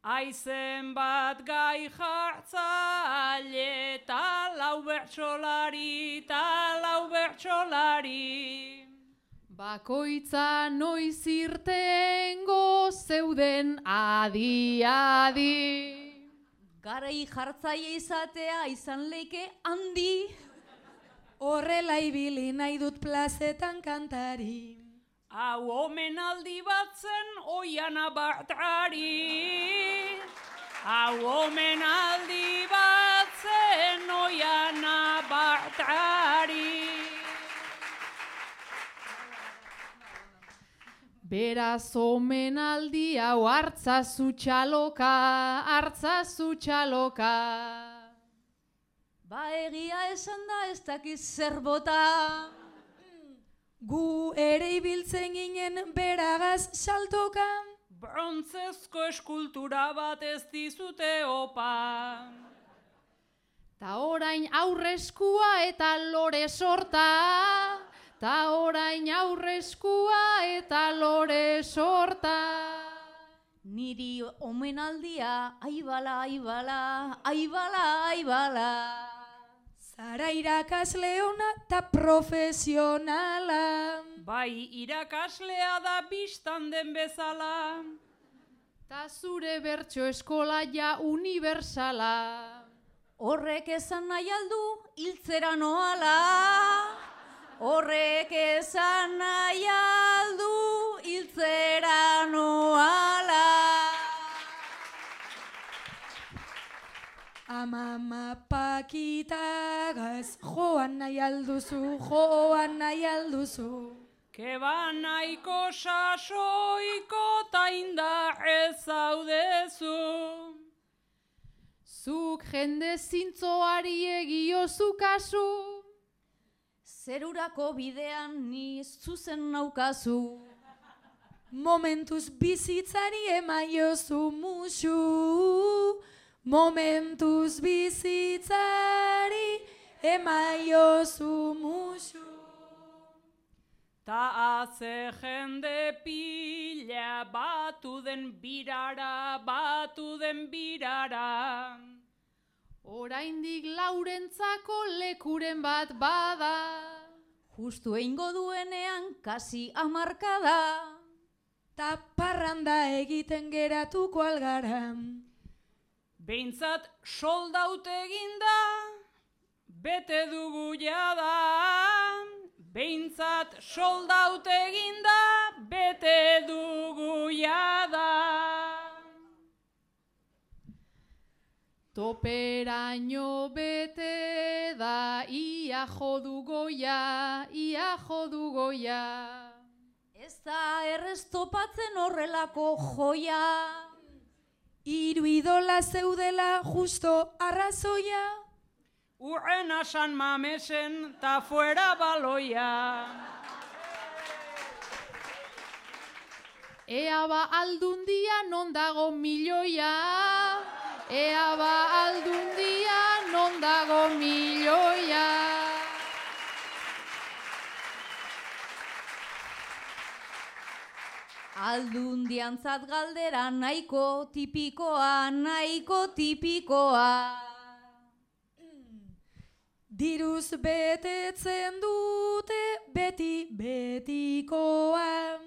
Aizen bat gai jartzaile, ta lau bertsolari, Bakoitza noiz irtengo zeuden adi. Garai jartzaile izatea izan leike handi. Horrela ibili nahi dut plazetan kantari. Hau omenaldi bat zen Oiana Bartrari. Hau omenaldi bat zen Oiana Bartrari. Beraz omenaldi hau hartzazu txaloka. Ba egia esan da ez dakiz zer bota. Gu ere ibiltzen ginen beragaz saltoka. Brontzezko eskultura bat ez dizute opa. Ta orain aurreskua eta lore sorta. Niri omenaldia aibala. Zara irakasle ona ta profesionala. Bai irakaslea da bistan den bezala. Ta zure bertso eskola ja universala. Horrek esan nahi aldu hiltzera noala. Amama pakitagaz joan nahi alduzu. Keba nahiko sasoiko ta indarrez zaudezu. Zuk jende zintzoari egiozu kasu. Zerurako bidean ni zuzen naukazu. Momentuz bizitzari emaiozu musu. Ta haze jende pila batu den birara. Oraindik laurentzako lekuren bat bada. Justu eingo duenean kasi hamarkada. Ta parranda egiten geratuko algara. Behintzat soldaut eginda, bete dugu jada. Toperaino bete da, ia jodu goia. Ez da errez topatzen horrelako joia. Hiru idola zeudela justo arrazoia. Urrena San Mamesen ta fuera baloia. Ea ba aldundia non dago milioia. Aldundiantzat galdera nahiko tipikoa. Diruz betetzen dute beti betikoa.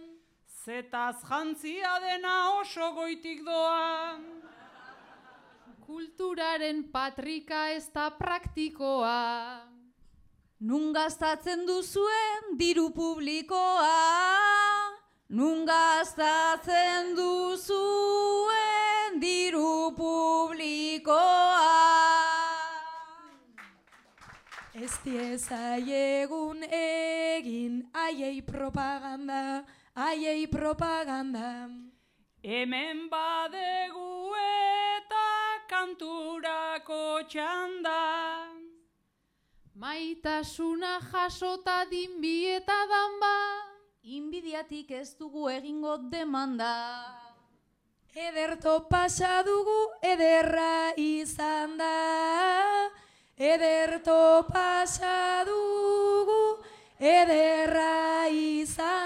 Zetaz jantzia dena oso goitik doa. Kulturaren patrika ez da praktikoa. Nun gastatzen duzuen diru publikoa. Ez diezaiegun egin aiei propaganda. Hemen badegu eta kanturako txanda. Maitasuna jasota dinbi eta danba. Inbidiatik ez dugu egingo demanda. Ederto pasa dugu ederra izan da. Ederra izan